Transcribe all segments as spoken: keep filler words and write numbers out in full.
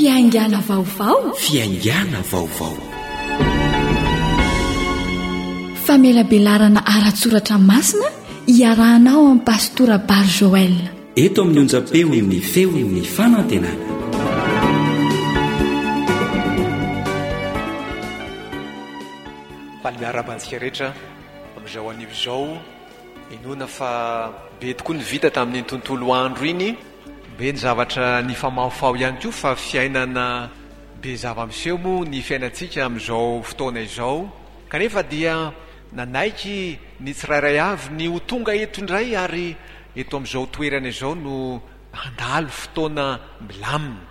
Fiaingàna vaovao. Fiaingàna vaovao. Famelabelarana ara-tsoratra masina iarahanao amin'ny Pastora Bar Joël. Eto amin'ny onjam-peon'ny feon'ny fanantenana. Faly miarahaba antsika rehetra amin'izao anio izao. Inoana fa be tokoa ny vita tamin'iny tontolo andro iny. Be ny zavatra nifamahofaho ihany koa fa fiainana be zava-miseho moa ny fiainantsika amin'izao fotoana izao. Kanefa dia nanaiky ny tsirairay avy ny ho tonga eto indray ary eto amin'izao toerana izao no handalo fotoana milamina.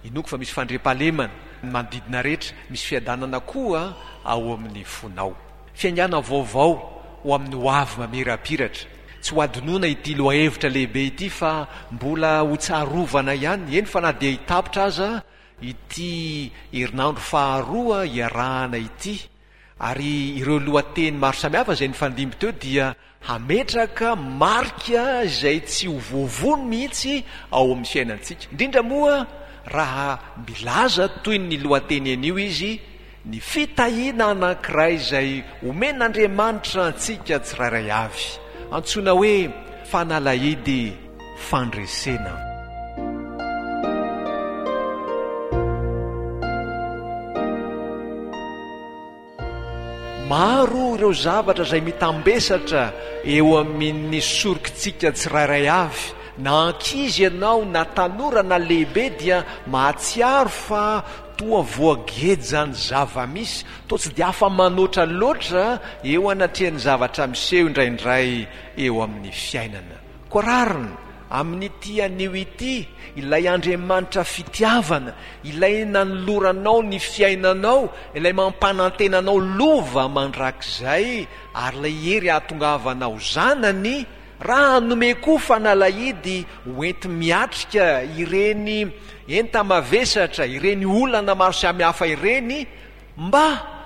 Inoako fa misy fandriampahalemana ny manodidina rehetra, misy fiadanana koa ao amin'ny fonao. Fiaingàna vaovao ho amin'ny ho avy mamirapiratra. Tsy ho adinoina ity lohahevitra lehibe ity fa mbola ho tsarovana ihany, eny fa na dia hitapitra aza ity herinandro faharoa iarahana ity. Ary ireo lohateny maro samihafa izay nifandimby teo dia hametraka marika izay tsy ho voavono mihitsy ao amin'ny fiainantsika. Indrindra moa raha milaza toy ny lohateny anio izy, ny fitahiana anankiray izay omen'Andriamanitra antsika tsirairay avy, antsoina hoe fanalahidy fandresena. Maro ireo zavatra izay mitambesatra eo amin'ny sorokitsika tsirairay avy. Na ankizy ianao, na tanora, na lehibe dia mahatsiaro fa toa voagejan'ny zava-misy, toa tsy dia afa-manoatra loatra eo anatrehan'ny zavatra miseho indraindray eo amin'ny fiainana. Koa rariny amin'ity anio ity, ilay Andriamanitra fitiavana, ilay nanoloranao ny fiainanao, ilay mampanantena anao lova mandrakizay, ary ilay hery hahatongavanao zanany, raha hanome koa fanalahidy hoenti-miatrika ireny enta-mavesatra, ireny olana maro samihafa ireny, mba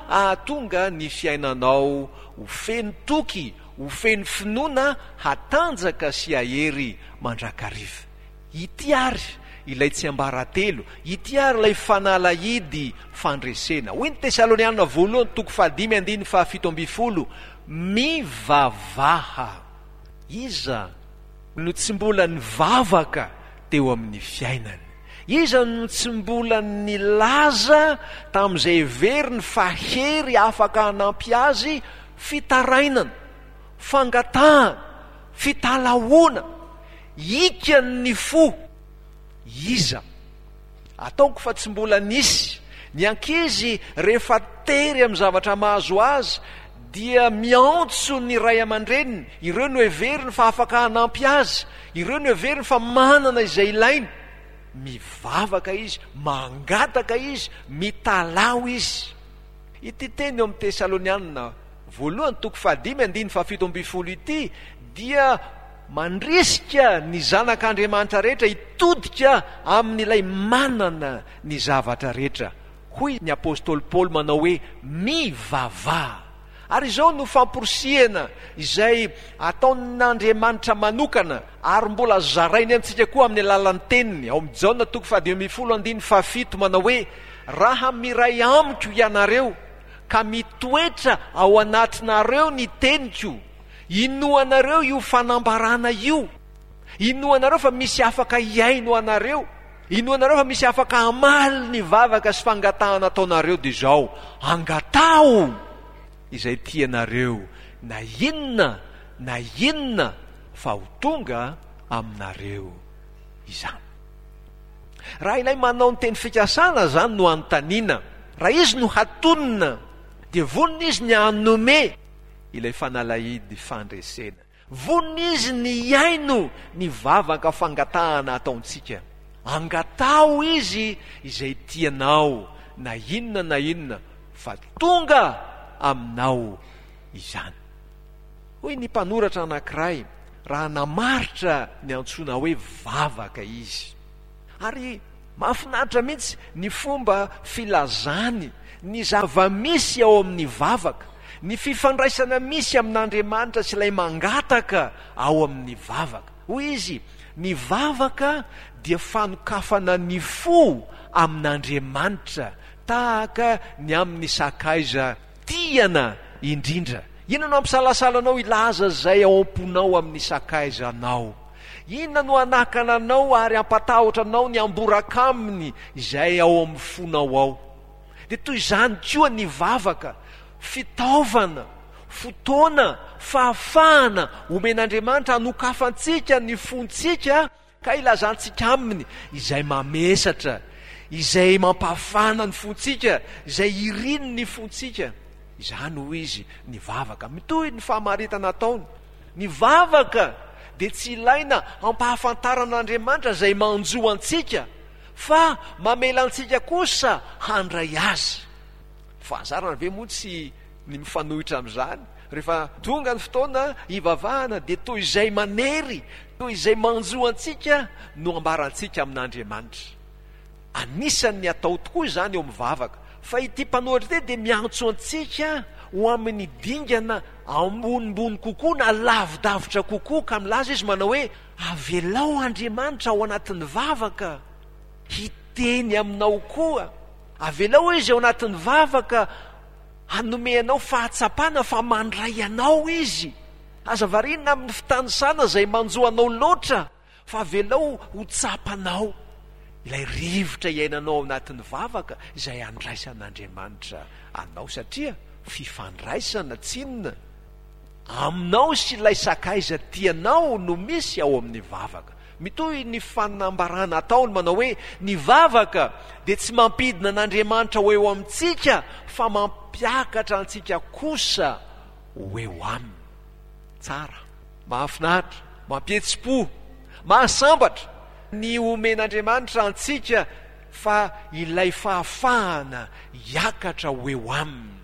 hahatonga ny fiainanao ho feno toky, ho feno finoana, hatanjaka sy hahery mandrakariva. Ity ary ilay tsiambaratelo, ity ary ilay fanalahidy fandresena. Hoy ny Tesaloniana voalohany toko fahadimy andininy fahafito ambin'ny folo, mivavaha. Iza no tsy mbola nivavaka teo amin'ny fiainany? Iza no tsy mbola nilaza tamin'izay heveriny fa hery afaka hanampy azy fitarainana, fangatahana, fitalahoana, hikan'ny fo? Iza? Ataoko fa tsy mbola nisy. Ny ankizy rehefa tery amin'ny zavatra mahazo azy dia miantso ny ray aman-dreniny, ireo no heveriny fa afaka hanampy azy, ireo no heveriny fa manana izay ilainy. Mivavaka izy, mangataka izy, mitalaho izy. Ity teny eo amin'ny Tesalonianina voalohany toko fahadimy andininy fahafito ambin'ny folo ity dia mandrisika ny zanak'Andriamanitra rehetra hitodika amin'ilay manana ny zavatra rehetra. Hoy ny apostoly Paoly manao hoe, mivavaha. Ary izao no famporisihana izay ataon'Andriamanitra manokana ary mbola zarainy amintsika koa amin'ny alalan'ny teniny, ao amin'ny Jaona toko fahadimy ambin'ny folo andininy fahafito manao hoe, raha miray amiko ianareo ka mitoetra ao anatinareo ny teniko, inoanareo io fanambarana io, inoanareo fa misy afaka hihaino anareo, inoanareo fa misy afaka hamaly ny vavaka sy fangatahana ataonareo, dia izao, angataho izay tianareo na inona na inona fa ho tonga aminareo izany. Raha ilay manao ny teny fikasana izany no anontaniana, raha izy no hatonina, dia vonona izy ny hanome ilay fanalahidy fandresena. Vonona izy ny hihaino ny vavaka fangatahana ataontsika. Angataho izy izay tianao na inona na inona fa tonga aminao izany. Hoy ny mpanoratra anankiray raha namaritra ny antsoina hoe vavaka izy. Ary mahafinaritra mihitsy ny fomba filazany ny zava-misy ao amin'ny vavaka, ny fifandraisana misy amin'Andriamanitra sy ilay mangataka ao amin'ny vavaka. Hoy izy, Ny vavaka dia fanokafana ny fo amin'Andriamanitra, tahaka ny amin'ny sakaiza tiana indrindra. Inona no hampisalasala anao hilaza izay ao am-ponao amin'ny sakaizanao? Inona no hanakana anao ary hampatahotra anao ny hamboraka aminy izay ao amin'ny fonao ao? Dia toy izany koa ny vavaka, fitaovana, fotoana, fahafahana omen'Andriamanitra hanokafantsika ny fontsika ka ilazantsika aminy izay mamesatra, izay mampafana ny fontsika, izay iriny ny fontsika. Izany hoy izy, ny vavaka. Mitohy ny famaritana ataony. Ny vavaka dia tsy ilaina hampahafantarana an'Andriamanitra izay manjo antsika, fa mamela antsika kosa handray azy. Fahazarana ve moa tsy ny mifanohitra amin'izany? Rehefa tonga ny fotoana hivavahana dia toy izay manery, toy izay manjo antsika no ambarantsika amin'Andriamanitra. Anisan'ny atao tokoa izany eo amin'ny vavaka. Fa ity mpanoratra ity dia miantso antsika ho amin'ny dingana ambonimbony kokoa na lavidavitra kokoa, ka milaza izy manao hoe, avelao Andriamanitra ao anatin'ny vavaka hiteny aminao koa. Avelao Izy ao anatin'ny vavaka hanome anao fahatsapana fa mandray anao Izy. Aza variana amin'ny fitanisana izay manjo anao loatra, fa avelao ho tsapanao ilay rivotra iainanao ao anatin'ny vavaka izay andraisan'Andriamanitra anao, satria fifandraisana tsinona aminao sy ilay sakaiza tianao no misy ao amin'ny vavaka. Mitohy ny fanambarana ataony manao hoe, ny vavaka dia tsy mampidina an'Andriamanitra ho eo amintsika fa mampiakatra antsika kosa ho eo aminy. Tsara, mahafinaritra, mampihetsi-po, mahasambatra ny omen'Andriamanitra antsika fa ilay fahafahana hiakatra ho eo aminy.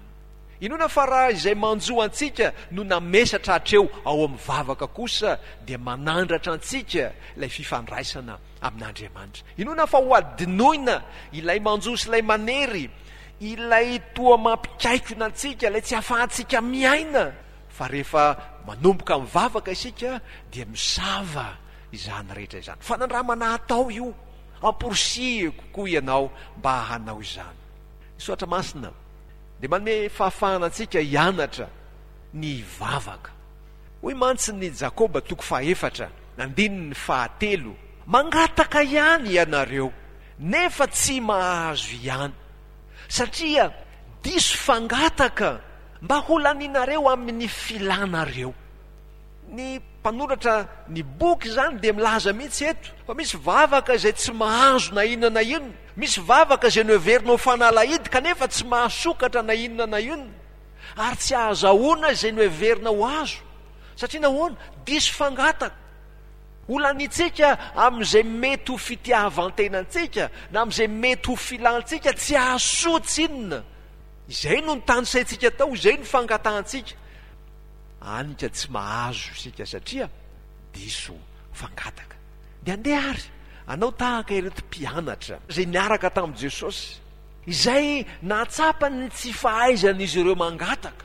Inoana fa raha izay manjo antsika no namesatra hatreo ao amin'ny vavaka kosa dia manandratra antsika ilay fifandraisana amin'Andriamanitra. Inoana fa ho adinoina ilay manjo sy ilay manery, ilay toa mampikaikona antsika, ilay tsy ahafahantsika miaina, fa rehefa manomboka mivavaka isika dia misava izany rehetra izany. Fanandramana atao io, amporisihiko koa ianao mba hanao izany. Ny Soratra Masina dia manome fahafahana antsika hianatra ny hivavaka. Hoy mantsy ny Jakoba toko fahaefatra, andininy fahatelo, Mangataka ihany ianareo, nefa tsy mahazo ihany, satria diso fangataka mba holanianareo amin'ny filanareo. Ny mpanoratra ny boky izany dia milaza mihitsy eto fa misy vavaka izay tsy mahazo na inona na inona, misy vavaka izay noheverina ho fanalahidy kanefa tsy mahasokatra na inona na inona, ary tsy ahazahoana izay noheverina ho azo. Satria nahoana? Diso fangataka. Holaniantsika amin'izay mety ho fitiavan-tenantsika na amin'izay mety ho filantsika tsy hahasoa tsinona. Izay no notanisaintsika tao, izay no fangatahantsika. Any ka tsy mahazo isika satria diso fangataka. Dia andeha ary hanao tahaka ireto mpianatra izay niaraka tamin'i Jesosy, izay nahatsapa ny tsy fahaizan'izy ireo mangataka,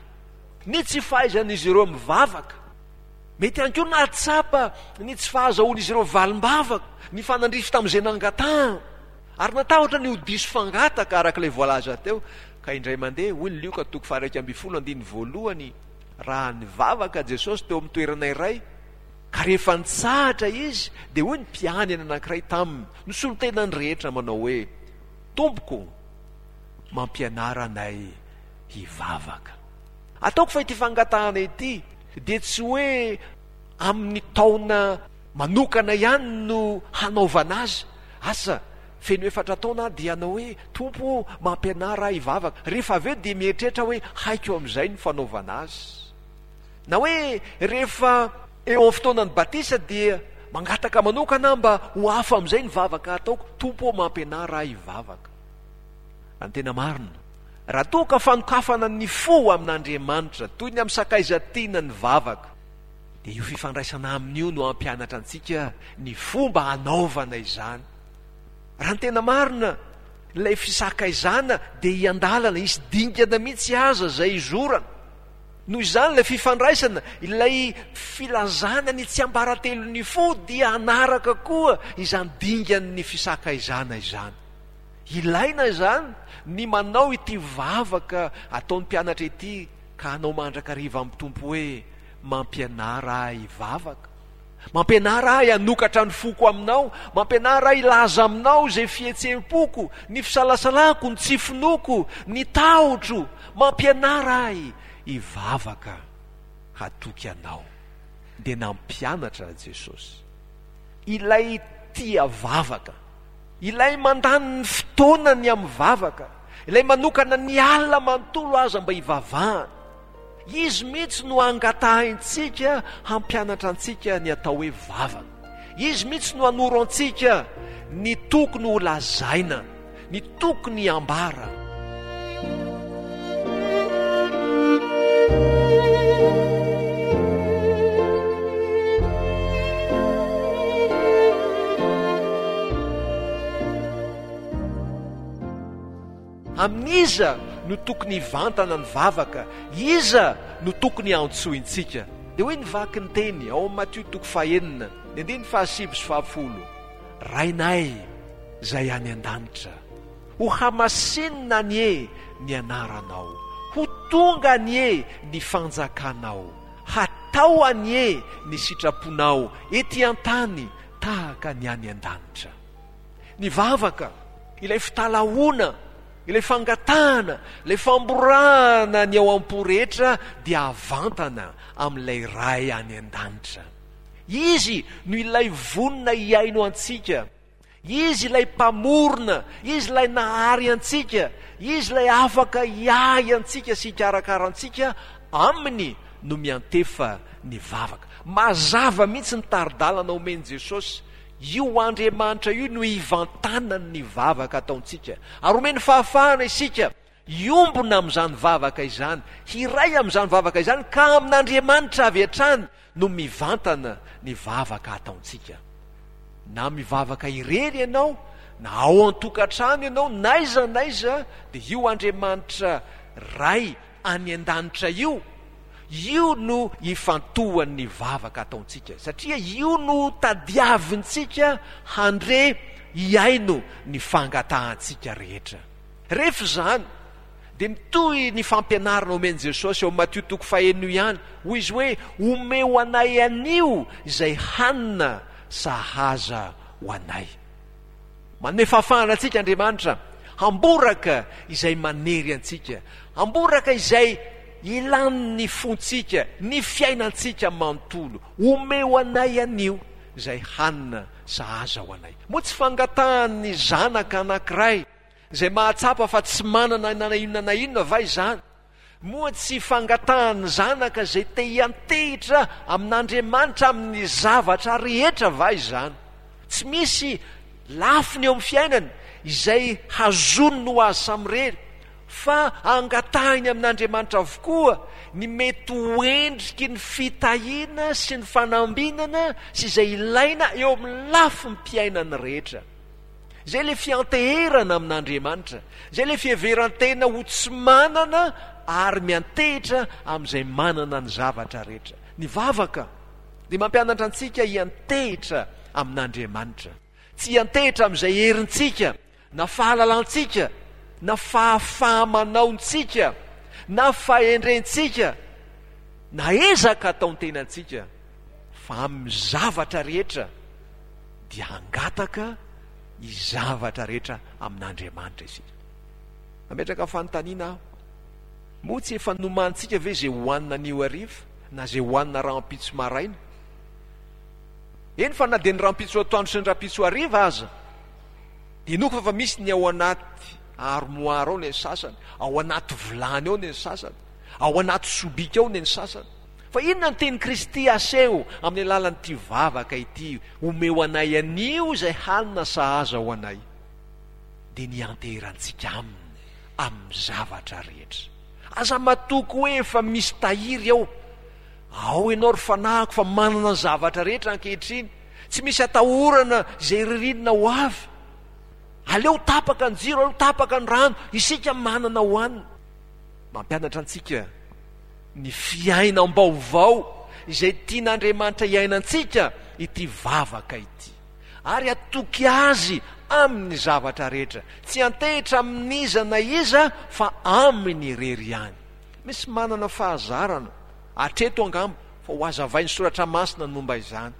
ny tsy fahaizan'izy ireo mivavaka. Mety ihany koa nahatsapa ny tsy fahazahoan'izy ireo valim-bavaka, nifanandrify tamin'izay nangatahana, ary natahotra ny ho diso fangataka araka ilay voalaza teo. Ka indray mandeha, hoy ny Lioka toko faha-iraika ambin'ny folo andininy voalohany, raha nivavaka Jesosy teo amin'ny toerana iray, ka rehefa nitsahatra Izy, dia hoy ny mpianany anankiray taminy, nisolo tena ny rehetra manao hoe, Tompoko, mampianara anay hivavaka. Ataoko fa ity fangatahana ity dia tsy hoe amin'ny taona manokana ihany no hanaovana azy. Asa, feno efatra taona aho dia hanao hoe, Tompo ô, mampianara ahy hivavaka. Rehefa avy eo dia mieritreritra hoe haiko amin'izay ny fanaovana azy. Na hoe rehefa eo amin'ny fotoanan'ny batisa dia mangataka manokana aho mba ho hafa amin'izay ny vavaka ataoko, Tompo ô, mampianara ahy hivavaka. Raha ny tena marina, raha toa ka fanokafana ny fo amin'Andriamanitra toy ny amin'ny sakaiza tiana ny vavaka, dia io fifandraisana aminy io no hampianatra antsika ny fomba hanaovana izany. Raha ny tena marina, ilay fisakaizana dia hiandalana, hisy dingana mihitsy aza izay hizorana. Noho izany ilay fifandraisana, ilay filazana ny tsiambaratelon'ny fo dia hanaraka koa izany dingan'ny fisakaizana izany. Ilaina izany ny manao ity vavaka ataon'ny mpianatra ity ka hanao mandrakariva amin'ny Tompo hoe, Mampianara ahy hivavaka. Mampianara ahy hanokatra ny foko aminao. Mampianara ahy hilaza aminao izay fihetseham-poko, ny fisalasalako, ny tsy finoako, ny tahotro. Mampianara ahy hivavaka hatoky anao. Dia nampianatra Jesosy. Ilay tia vavaka, ilay mandany ny fotoanany amin'ny vavaka, ilay manokana ny alina manontolo aza mba hivavahana. Izy mihitsy no angatahintsika hampianatra antsika ny atao hoe vavaka. Izy mihitsy no hanoro antsika ny tokony ho lazaina, ny tokony hambara. Amin'iza no tokony hivantana ny vavaka? Iza no tokony hantsointsika? Dia hoy ny vaky ny teny ao amin'ny Matio toko fahenina, ny andininy fahasivy sy fahafolo, Rainay izay any an-danitra, ho hamasinina anie ny anaranao, ho tonga anie ny fanjakanao, hatao anie ny sitraponao ety an-tany tahaka ny any an-danitra. Ny vavaka, ilay fitalahoana, ilay fangatahana, ilay famborahana ny ao am-po rehetra dia avantana amin'ilay Ray any an-danitra. Izy no ilay vonona hihaino antsika. Izy ilay Mpamorona, Izy ilay nahary antsika, Izy ilay afaka hiahy antsika sy hikarakara antsika, Aminy no miantefa ny vavaka. Mazava mihitsy ny tari-dalana omen'i Jesosy. Io Andriamanitra io no ivantanany ny vavaka ataontsika. Ary omeny fahafahana isika hiombona amin'izany vavaka izany, hiray amin'izany vavaka izany, ka amin'Andriamanitra avy hatrany no mivantana ny vavaka ataontsika. Na mivavaka irery ianao, na ao an-tokantrano ianao, n'aiza n'aiza, dia io Andriamanitra Ray any an-danitra io, io no ifantohan'ny vavaka ataontsika, satria io no tadiavintsika handre hihaino ny fangatahantsika rehetra. Rehefa izany, dia mitohy ny fampianarana omen'i Jesosy ao Matio toko fahenina io ihany, hoy izy hoe, Omeo anay anio izay hanina sahaza ho anay. Manome fahafahana antsika Andriamanitra hamboraka izay manery antsika, hamboraka izay ilan'ny fontsika, ny fiainantsika manontolo. Omeo anay anio izay hanina sahaza ho anay. Moa tsy fangatahan'ny zanaka anankiray izay mahatsapa fa tsy manana na inona na inona va izany? Moa tsy fangatahan'ny zanaka izay te hiantehitra amin'Andriamanitra amin'ny zavatra rehetra va izany? Tsy misy lafiny eo amin'ny fiainany izay hazoniny ho azy samirery, fa angatahiny amin'Andriamanitra avokoa ny mety ho endriky ny fitahiana sy ny fanambinana sy izay ilaina eo amin'ny lafim-piainany rehetra. Izay ilay fianteherana amin'Andriamanitra. Izay ilay fiheveran-tena ho tsy manana ary miantehitra amin'izay manana ny zavatra rehetra. Ny vavaka dia mampianatra antsika hiantehitra amin'Andriamanitra. Tsy hiantehitra amin'izay herintsika, na fahalalantsika, na fahafaha-manaontsika, na fahendrentsika, na ezaka ataon-tenantsika, fa amin'ny zavatra rehetra dia hangataka ny zavatra rehetra amin'Andriamanitra isika. Nametraka fanontaniana aho, moa tsy efa nomanintsika ve izay hohanina anio hariva na izay hohanina rahampitso maraina? Eny fa na dia ny rahampitso atoandro sy ny rahampitso hariva aza, dia inoako fa efa misy ny ao anaty armoire ao ny sasany, ao anaty vilany ao ny sasany, ao anaty sobika ao ny sasany. Fa inona no tian'i Kristy haseho amin'ny alalan'ity vavaka ity, Omeo anay anio izay hanina sahaza ho anay? Dia ny hianteherantsika Aminy amin'ny zavatra rehetra. Aza matoky hoe efa misy tahiry ao. Ao ianao ry fanahiko fa manana ny zavatra rehetra ankehitriny. Tsy misy atahorana izay ririnina ho avy. Aleo tapaka ny jiro, aleo tapaka ny rano, isika manana hohanina. Mampianatra antsika ny fiainam-baovao izay tian'Andriamanitra hiainantsika ity vavaka ity. Ary hatoky Azy amin'ny zavatra rehetra. Tsy hiantehitra amin'iza na iza fa Aminy irery ihany. Misy manana fahazarana, hatreto angamba, fa ho hazavain'ny Soratra Masina ny momba izany.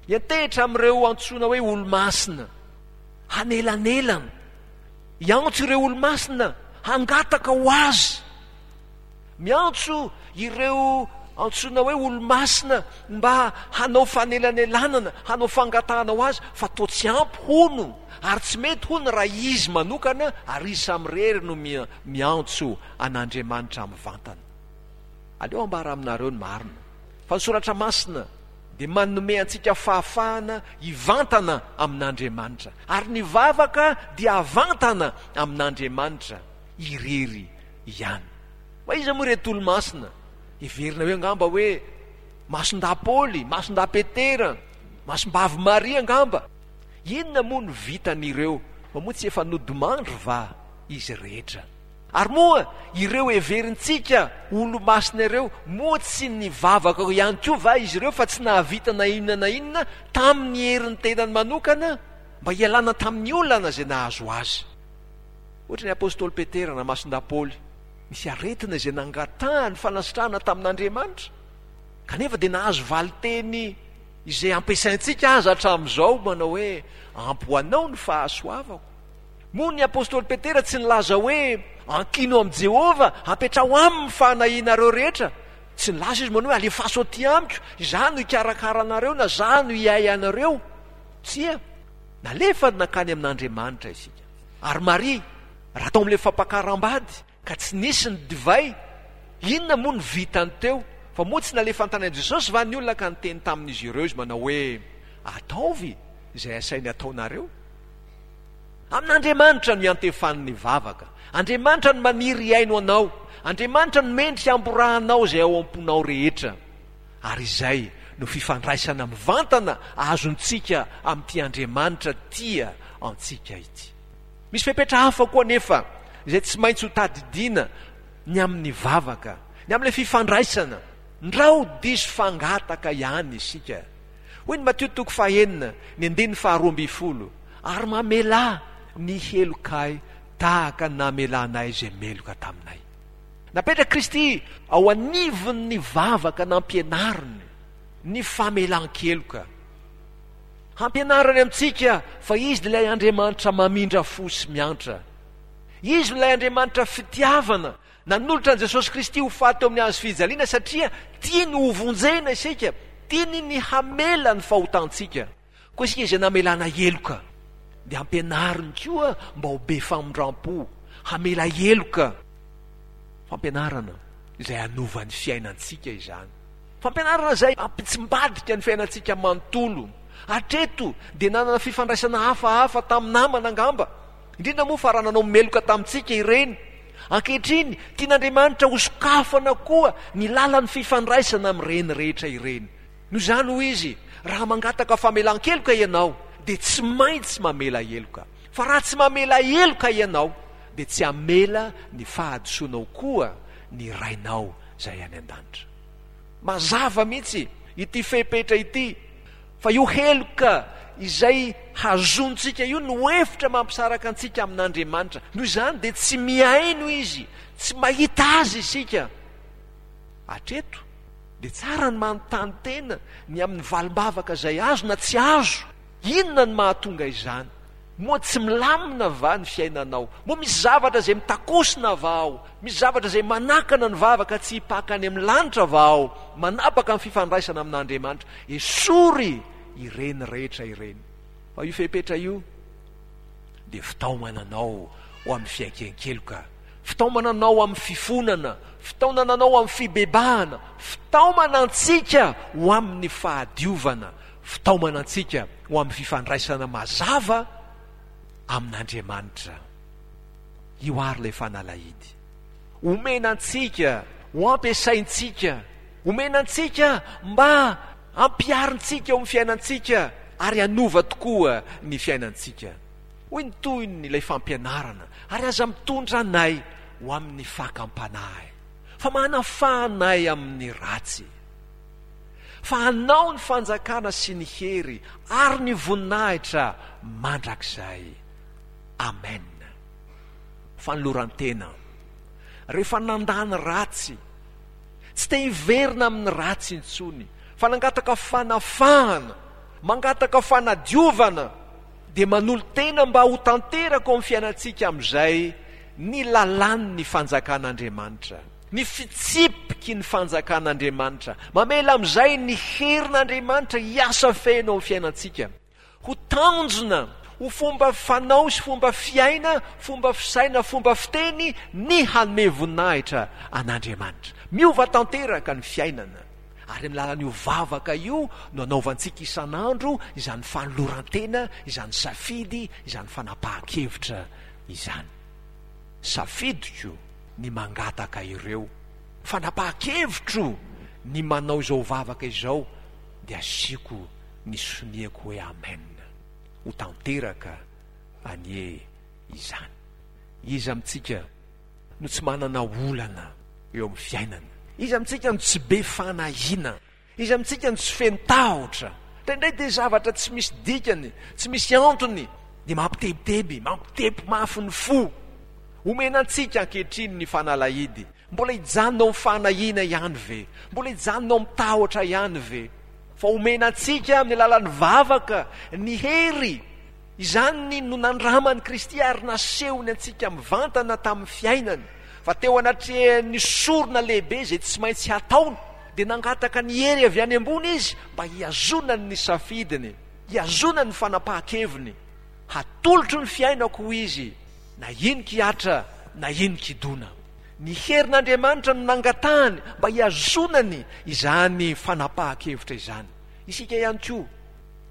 Hiantehitra amin'ireo antsoina hoe olo-masina, hanelanelana, hiantso ireo olo-masina hangataka ho azy. Miantso ireo antsoina hoe olo-masina mba hanao fanelanelanana, hanao fangatahana ho azy, fa toa tsy ampy hono, ary tsy mety hono raha izy manokana ary izy samirery no miantso an'Andriamanitra mivantana. Aleo ambara aminareo ny marina, fa ny Soratra Masina dia manome antsika fahafahana hivantana amin'Andriamanitra, ary ny vavaka dia avantana amin'Andriamanitra irery ihany. Fa iza moa ireto olo-masina? Heverina hoe angamba hoe Masindahy Paoly, Masindahy Petera, Masimbavy Maria angamba. Inona moa no vitan'ireo? Fa moa tsy efa nodimandry va izy rehetra? Ary moa ireo heverintsika olo-masina ireo, moa tsy nivavaka ihany koa va izy ireo fa tsy nahavita na inona na inona tamin'ny herin'ny tenany manokana mba hialana tamin'ny olana izay nahazo azy? Ohatra ny apostoly Petera na Masindahy Paoly, nisy aretina izay nangatahany fanasitrahana tamin'Andriamanitra, kanefa dia nahazo valin-teny izay ampiasaintsika aza hatramin'izao manao hoe, Ampy ho anao ny fahasoavako. Moa ny apostoly Petera tsy nilaza hoe, Ankino amin'i Jehovah, apetraho aminy ny fanahianareo rehetra? Tsy nilaza izy manao hoe, Alefaso aty amiko, izaho no hikarakara anareo na izaho no hiahy anareo. Tsia, nalefany nankany amin'Andriamanitra isika. Ary Maria, raha tao amin'ilay fampakaram-bady, ka tsy nisy ny divay, inona moa no vitany teo? Fa moa tsy nalefa tany amin'i Jesosy va ny olona ka niteny tamin'izy ireo izy manao hoe, Ataovy izay asainy ataonareo? Amin'Andriamanitra no iantefan'ny vavaka. Andriamanitra no maniry hihaino anao. Andriamanitra no mendrika hamborahanao izay ao am-ponao rehetra. Ary izay no fifandraisana mivantana azontsika amin'ity Andriamanitra tia antsika ity. Misy fepetra hafa koa anefa izay tsy maintsy hotadidiana ny amin'ny vavaka, ny amin'ilay fifandraisana. Ndrao diso fangataka ihany isika. Hoy ny Matio toko fahenina, ny andininy faharoa ambin'ny folo, Ary mamelà ny helokay tahaka ny namelanay izay meloka taminay. Napetrak'i Kristy ao anivon'ny vavaka nampianariny ny famelan-keloka. Hampianarany amintsika fa Izy ilay Andriamanitra mamindra fo sy miantra. Izy ilay Andriamanitra fitiavana, nanolotra an'i Jesosy Kristy ho faty teo amin'ny hazo fijaliana satria tiany hovonjena isika, tiany ny hamela ny fahotantsika. Koa isika izay namelana heloka dia ampianariny koa mba ho be famindram-po, hamela heloka. Fampianarana izay hanova ny fiainantsika izany. Fampianarana izay hampitsimbadika ny fiainantsika manontolo. Hatreto dia nanana fifandraisana hafahafa tamin'ny namana angamba, indrindra moa fa raha nanao meloka tamintsika ireny. Ankehitriny, tian'Andriamanitra hosokafana koa ny lalan'ny fifandraisana amin'ireny rehetra ireny. Noho izany, hoy izy, raha mangataka famelan-keloka ianao, dia tsy maintsy mamela heloka. Fa raha tsy mamela heloka ianao, dia tsy hamela ny fahadisoanao koa ny Rainao izay any an-danitra. Mazava mihitsy ity fepetra ity, fa io heloka izay hazonintsika io no efitra mampisaraka antsika amin'Andriamanitra. Noho izany dia tsy mihaino Izy, tsy mahita Azy isika hatreto. Dia tsara ny manontany tena ny amin'ny valim-bavaka izay azo na tsy azo. Inona no mahatonga izany? Moa tsy milamina va ny fiainanao? Moa misy zavatra izay mitakosina va ao? Misy zavatra izay manakana ny vavaka tsy hipaka any amin'ny lanitra va ao? Manapaka ny fifandraisana amin'Andriamanitra? Esory ireny rehetra ireny. Fa io fepetra io dia fitaomana anao ho amin'ny fiaiken-keloka, fitaomana anao amin'ny fifonana, fitaonana anao amin'ny fibebahana, fitaomana antsika ho amin'ny fahadiovana, fitaomana antsika ho amin'ny fifandraisana mazava amin'Andriamanitra. Io àry ilay fanalahidy. Omena antsika, ho ampiasaintsika, omena antsika mba hampiharintsika eo amin'ny fiainantsika ary hanova tokoa ny fiainantsika. Hoy ny tohin'ilay fampianarana, Ary aza mitondra anay ho amin'ny fakam-panahy, fa manafaha anay amin'ny ratsy. Fa anao ny fanjakana sy ny hery ary ny voninahitra mandrakizay. Amen. Fanoloran-tena. Rehefa nandà ny ratsy, tsy te hiverina amin'ny ratsy intsony, fa nangataka fanafahana, mangataka fanadiovana, dia manolo-tena mba ho tanteraka ao amin'ny fiainantsika amin'izay ny lalàn'ny fanjakan'Andriamanitra, ny fitsipiky ny fanjakan'Andriamanitra. Mamela amin'izay ny herin'Andriamanitra hiasa feno ao amin'ny fiainantsika. Ho tanjona, ho fomba fanao sy fomba fiaina, fomba fisaina, fomba fiteny ny hanome voninahitra an'Andriamanitra. Miova tanteraka ny fiainana. Ary amin'ny alalan'io vavaka io no anaovantsika isan'andro izany fanoloran-tena, izany safidy, izany fanapahan-kevitra izany. Safidiko ny mangataka ireo. Fanapahan-kevitro ny manao izao vavaka izao, dia asiako ny soniako hoe amen. Ho tanteraka anie izany. Iza amintsika no tsy manana olana eo amin'ny fiainana? Iza amintsika no tsy be fanahiana? Iza amintsika no tsy feno tahotra? Indraindray dia zavatra tsy misy dikany, tsy misy antony, dia mampitebiteby, mampitepo mafy ny fo. Omena antsika ankehitriny ny fanalahidy. Mbola hijanona ao amin'ny fanahiana ihany ve? Mbola hijanona ao amin'ny tahotra ihany ve? Fa omena antsika amin'ny alalan'ny vavaka ny hery. Izany no nandraman'i Kristy ary nasehony antsika mivantana tamin'ny fiainany, fa teo anatrehan'ny sorona lehibe izay tsy maintsy hataony, dia nangataka ny hery avy any ambony izy mba hihazonany ny safidiny, hihazonany ny fanapahan-keviny. Hatolotro ny fiainako, hoy izy, na inon-kihatra na inon-kidona. Ny herin'Andriamanitra no nangatahany mba hihazonany izany fanapahan-kevitra izany. Isika ihany koa,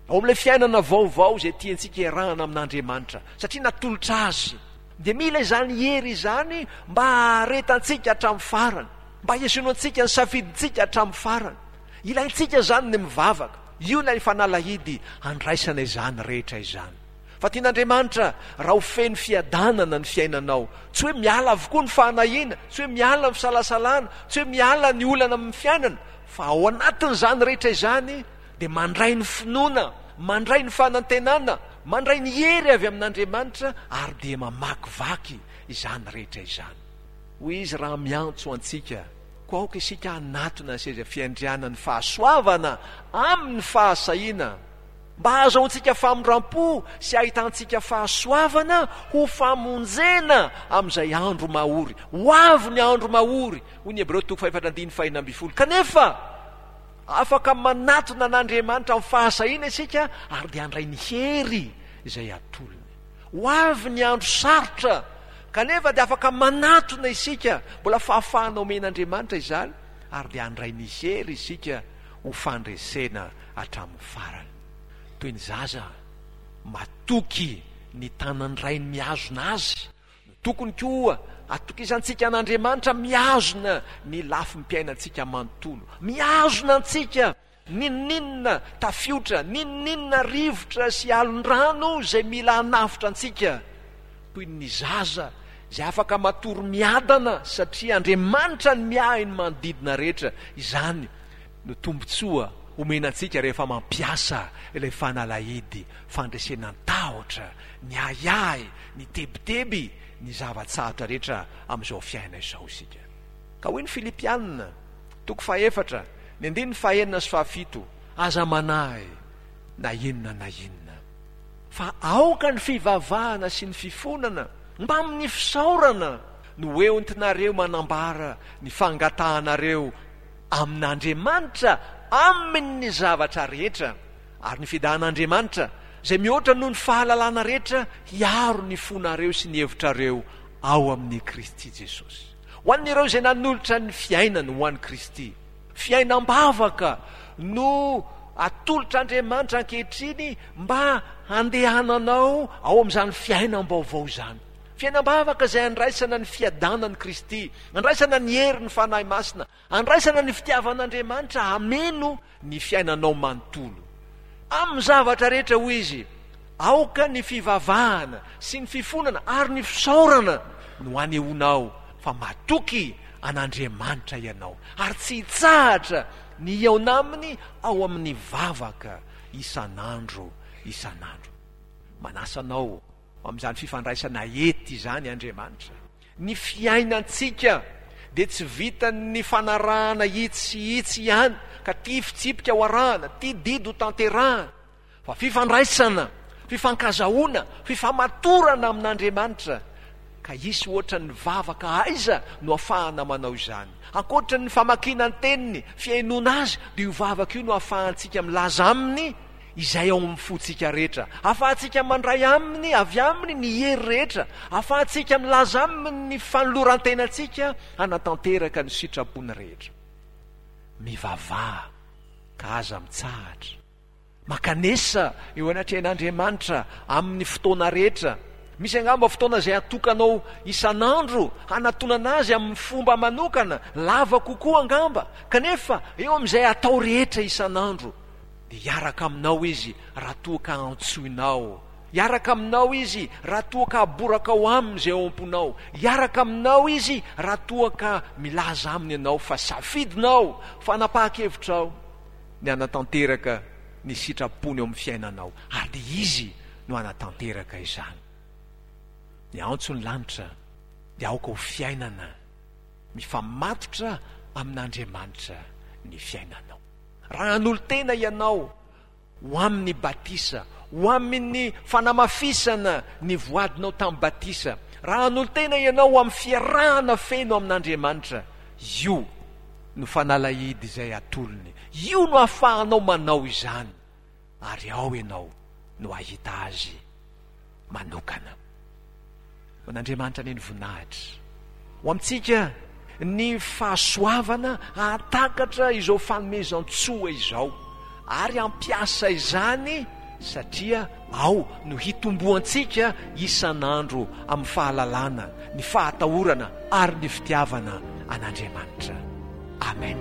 ao amin'ilay fiainana vaovao izay tiantsika iarahana amin'Andriamanitra, satria natolotra Azy, dia mila izany hery izany mba haharetantsika hatramin'ny farany, mba hihazoantsika ny safidintsika hatramin'ny farany. Ilaintsika izany ny mivavaka. Io ilay fanalahidy handraisana izany rehetra izany. Fa tian'Andriamanitra raha ho feno fiadanana ny fiainanao. Tsy hoe miala avokoa ny fahanahiana, tsy hoe miala ny fisalasalana, tsy hoe miala ny olana amin'ny fiainana, fa ao anatin'izany rehetra izany dia mandray ny finoana, mandray ny fanantenana, mandray ny hery avy amin'Andriamanitra ary dia mamakivaky izany rehetra izany. Hoy Izy raha miantso antsika, koa aoka isika hanatona ny seza fiandrianan'ny fahasoavana amin'ny fahasahiana, mba hahazahoantsika famindram-po sy hahitantsika fahasoavana ho famonjena amin'izay andro mahory. Ho avy ny andro mahory, hoy ny Hebreo toko fahefatra andininy fahenina ambin'ny folo. Kanefa, afaka manatona an'Andriamanitra amin'ny fahasahiana isika ary dia handray ny hery izay atolony. Ho avy ny andro sarotra, kanefa dia afaka manatona isika, mbola fahafahana omen'Andriamanitra izany, ary dia handray ny hery isika ho fandresena hatramin'ny farany. Toy ny zaza matoky ny tanan'ny rainy mihazona azy, no tokony koa hatokisantsika an'Andriamanitra mihazona ny lafim-piainantsika manontolo. Mihazona antsika n'inon'inona tafiotra, n'inon'inona rivotra sy alon-drano izay mila hanafotra antsika. Toy ny zaza izay afaka matory miadana satria Andriamanitra no miahy ny manodidina rehetra, izany no tombontsoa omena antsika rehefa mampiasa ilay fanalahidy fandresena ny tahotra, ny ahiahy, ny tebiteby, ny zava-tsarotra rehetra amin'izao fiainana izao isika. Ka hoy ny Filipiana, toko fahefatra, ny andininy fahenina sy fahafito, Aza manahy na inona na inona, fa aoka ny fivavahana sy ny fifonana mbamin'ny fisaorana no entinareo manambara ny fangatahanareo amin'Andriamanitra amin'ny zavatra rehetra, ary ny fidahan'Andriamanitra, izay mihoatra noho ny fahalalana rehetra, hiaro ny fonareo sy ny hevitrareo ao amin'i Kristy Jesosy. Ho an'ireo izay nanolotra ny fiainany ho an'i Kristy, fiainam-bavaka no atolotr'Andriamanitra ankehitriny mba handehananao ao amin'izany fiainam-baovao izany. Fiainam-bavaka izay andraisana ny fiadanan'i Kristy, andraisana ny herin'ny Fanahy Masina, andraisana ny fitiavan'Andriamanitra hameno ny fiainanao manontolo. Amin'ny zavatra rehetra, hoy izy, aoka ny fivavahana sy ny fifonana ary ny fisaorana no anehoanao fa matoky an'Andriamanitra ianao, ary tsy hitsahatra ny hihaona aminy ao amin'ny vavaka isan'andro isan'andro. Manasa anao amin'izany fifandraisana ety izany Andriamanitra. Ny fiainantsika dia tsy vitan'ny fanarahana itsy sy itsy ihany, ka tia fitsipika ho arahana, tia didy ho tanterahana, fa fifandraisana, fifankazahoana, fifamatorana amin'Andriamanitra. Ka hisy ohatra ny vavaka aiza no afahana manao izany? Ankoatra ny famakiana ny teniny, fihainoana azy, dia io vavaka io no ahafahantsika milaza aminy izay ao amin'ny fontsika rehetra. Ahafahantsika mandray aminy, avy aminy, ny hery rehetra. Ahafahantsika milaza aminy ny fanoloran-tenantsika hanatanteraka ny sitrapony rehetra. Mivavaha ka aza mitsahatra. Mankanesa eo anatrehan'Andriamanitra amin'ny fotoana rehetra. Misy angamba fotoana izay atokanao isan'andro hanatonana azy amin'ny fomba manokana, lava kokoa angamba, kanefa eo amin'izay atao rehetra isan'andro, dia hiaraka aminao Izy raha toa ka antsoinao. Hiaraka aminao Izy raha toa ka aborakao aminy izay ao am-ponao. Hiaraka aminao Izy raha toa ka milaza aminy ianao fa safidinao, fanapahan-kevitrao ny hanatanteraka ny sitrapony eo amin'ny fiainanao, ary dia Izy no hanatanteraka izany. Ny antso ny lanitra dia aoka ho fiainana mifamatotra amin'Andriamanitra ny fiainanao. Raha hanolo-tena ianao ho amin'ny batisa, ho amin'ny fanamafisana ny voadinao tamin'ny batisa, raha hanolo-tena ianao ho amin'ny fiarahana feno amin'Andriamanitra, io no fanalahidy izay atolony. Io no ahafahanao manao izany, ary ao ianao no hahita azy manokana. Ho an'Andriamanitra anie ny voninahitra. Ho amintsika ny fahasoavana hahatakatra izao fanomezan-tsoa izao ary hampiasa izany satria ao no hitomboantsika isan'andro amin'ny fahalalana, ny fahatahorana ary ny fitiavana an'Andriamanitra. Amen.